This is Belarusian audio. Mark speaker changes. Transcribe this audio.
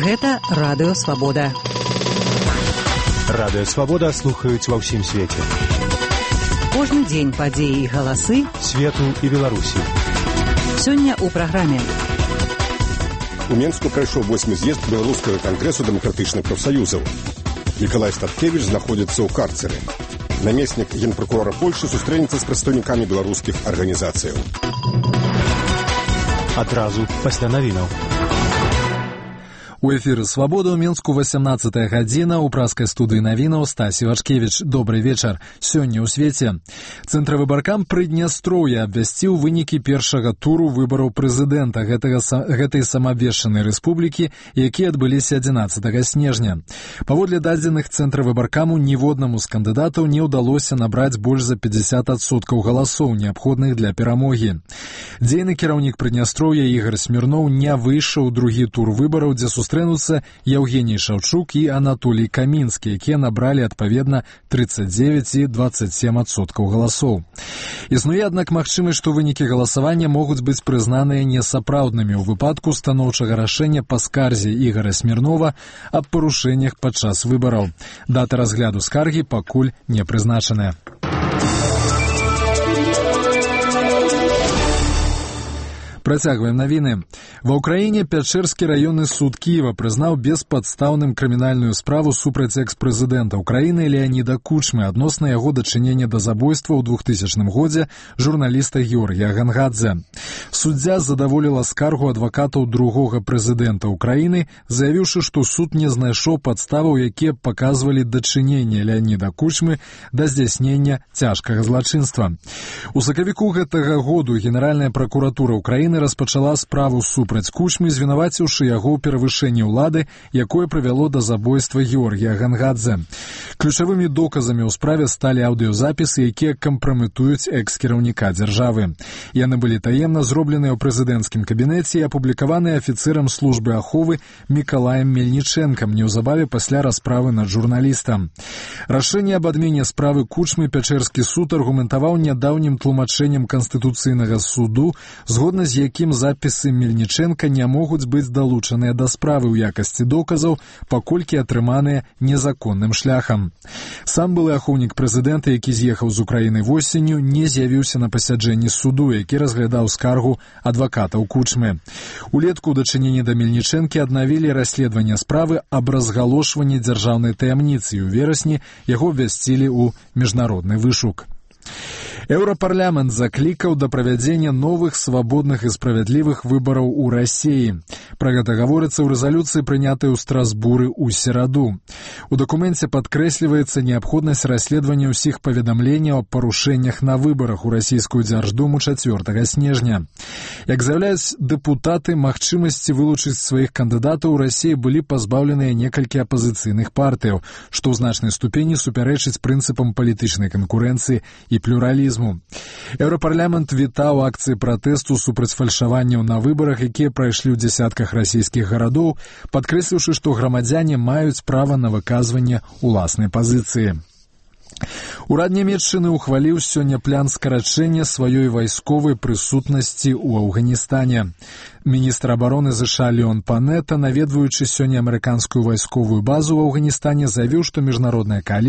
Speaker 1: Гэта Радыё Свабода.
Speaker 2: Радыё Свабода слухаюць ва ўсім свеце.
Speaker 1: Кожны дзень падзеі і галасы
Speaker 2: свету і Беларусі.
Speaker 1: Сёння ў праграме.
Speaker 3: У Менску прайшоў 8-й з'езд Беларускага кангрэсу дэмакратычных прафсаюзаў. Мікалай Статкевіч знаходзіцца ў карцеры. Намеснік генпракурора Польшы сустрэнецца з прадстаўнікамі беларускіх арганізацыяў.
Speaker 2: Адразу пасля навінаў.
Speaker 4: У эфіры «Свабода» ў Менску 18-я гадзіна. У праскай студыі навінаў Стасі Вачкевіч. Добрый вечар. Сёння ў свеце. Цэнтравыбаркам Прыднястроўя абвясціў вынікі першага туру выбараў прэзідэнта гэтай самаабвешчанай рэспублікі, якія адбыліся 11 снежня. Паводле дадзеных цэнтравыбаркаму ніводнаму з кандыдатаў не ўдалося набраць больш за 50% галасоў, неабходных для перамогі. Дзейны кіраўнік Прыднястроўя Ігор Смірноў не выйшаў у другі тур выбараў, дзе сустрэнуцца Евгений Шаўчук і Анатолій Камінскі, якія набралі адпаведна 39 і 27% галасоў. Існуе, аднак, магчымасць, што вынікі галасавання могуць быць прызнаныя несапраўднымі ў выпадку станоўчага рашэння па скарзе Ігора Смірнова аб парушэннях падчас выбараў. Дата разгляду скаргі пакуль не прызначаная. Працягваем навіны. Ва ўкраіне Пячэрскі раённы суд Кіева прызнаў беспадстаўным крымінальную справу супраць экс-прэзідэнта ўкраіны Леаніда Кучмы адносна яго дачынення да забойства ў 2000 годзе журналіста Георгія Гангадзе. Суддзя задаволіла скаргу адвакатаў другога прэзідэнта ўкраіны, заявіўшы, што суд не знайшоў падставаў, якія паказвалі дачыненне Леаніда Кучмы да здзяйснення цяжкага злачынства. У сакавіку гэтага году Генеральная пракуратура ўкраіны распачала справу супраць Кучмы, звінаваціўшы яго ў перавышэнні ўлады, якое прывяло да забойства Георгія Гангадзе. Ключавымі доказамі ў справе сталі аўдыёзапісы, якія кампраметуюць экс-кіраўніка дзяржавы. Яны былі таемна зробленыя ў прэзідэнцкім кабінеце і апублікаваныя афіцэрам службы аховы Мікалаем Мельнічэнкам неўзабаве пасля расправы над журналістам. Рашэнне аб адмене справы Кучмы Пячэрскі суд аргументаваў нядаўнім тлумачэннем Канстытуцыйнага суду, згодна з якім запісы Мельнічэнка не могуць быць далучаныя да справы ў якасці доказаў, паколькі атрыманыя незаконным шляхам. Сам былы ахоўнік прэзідэнта, які з'ехаў з Украіны восенню, не з'явіўся на пасяджэнні суду, які разглядаў скаргу адвакатаў Кучмы. Улетку ў дачыненні да Мельнічэнкі аднавілі расследаванне справы аб разгалошванні дзяржаўнай таямніцы, і ў верасні яго абвясцілі ў міжнародны вышук. Еўрапарламент заклікаў да правядзення новых свабодных і справядлівых выбараў у Расіі. Пра гэта гаворыцца ў рэзалюцыі, прынятай у Страсбуры ў сераду. У дакуменце падкрэсліваецца неабходнасць расследавання ўсіх паведамленняў аб парушэннях на выбарах у расійскую дзярждуму 4 снежня. Як заяўляюць дэпутаты, магчымасці вылучыць сваіх кандыдатаў у Расіі былі пазбаўленыя некалькі апазіцыйных партыяў, што ў значнай ступені супярэчыць прынцыпам палітычнай канкурэнцыі і плюралізму. Еўрапарламент вітаў акцыі пратэсту супраць фальшаванняў на выбарах, якія прайшлі ў дзясятках расійскіх гарадоў, падкрэсліўшы, што грамадзяне маюць права на выказванне ўласнай пазіцыі. Урад Нямецчыны ухваліў сёння план скарачэння сваёй вайсковай прысутнасці ў Афганістане. Міністр абароны США Леон Панета, наведваючы сёння амерыканскую вайсковую базу ў Афганістане, заявіў, што міжнародная коаліцыя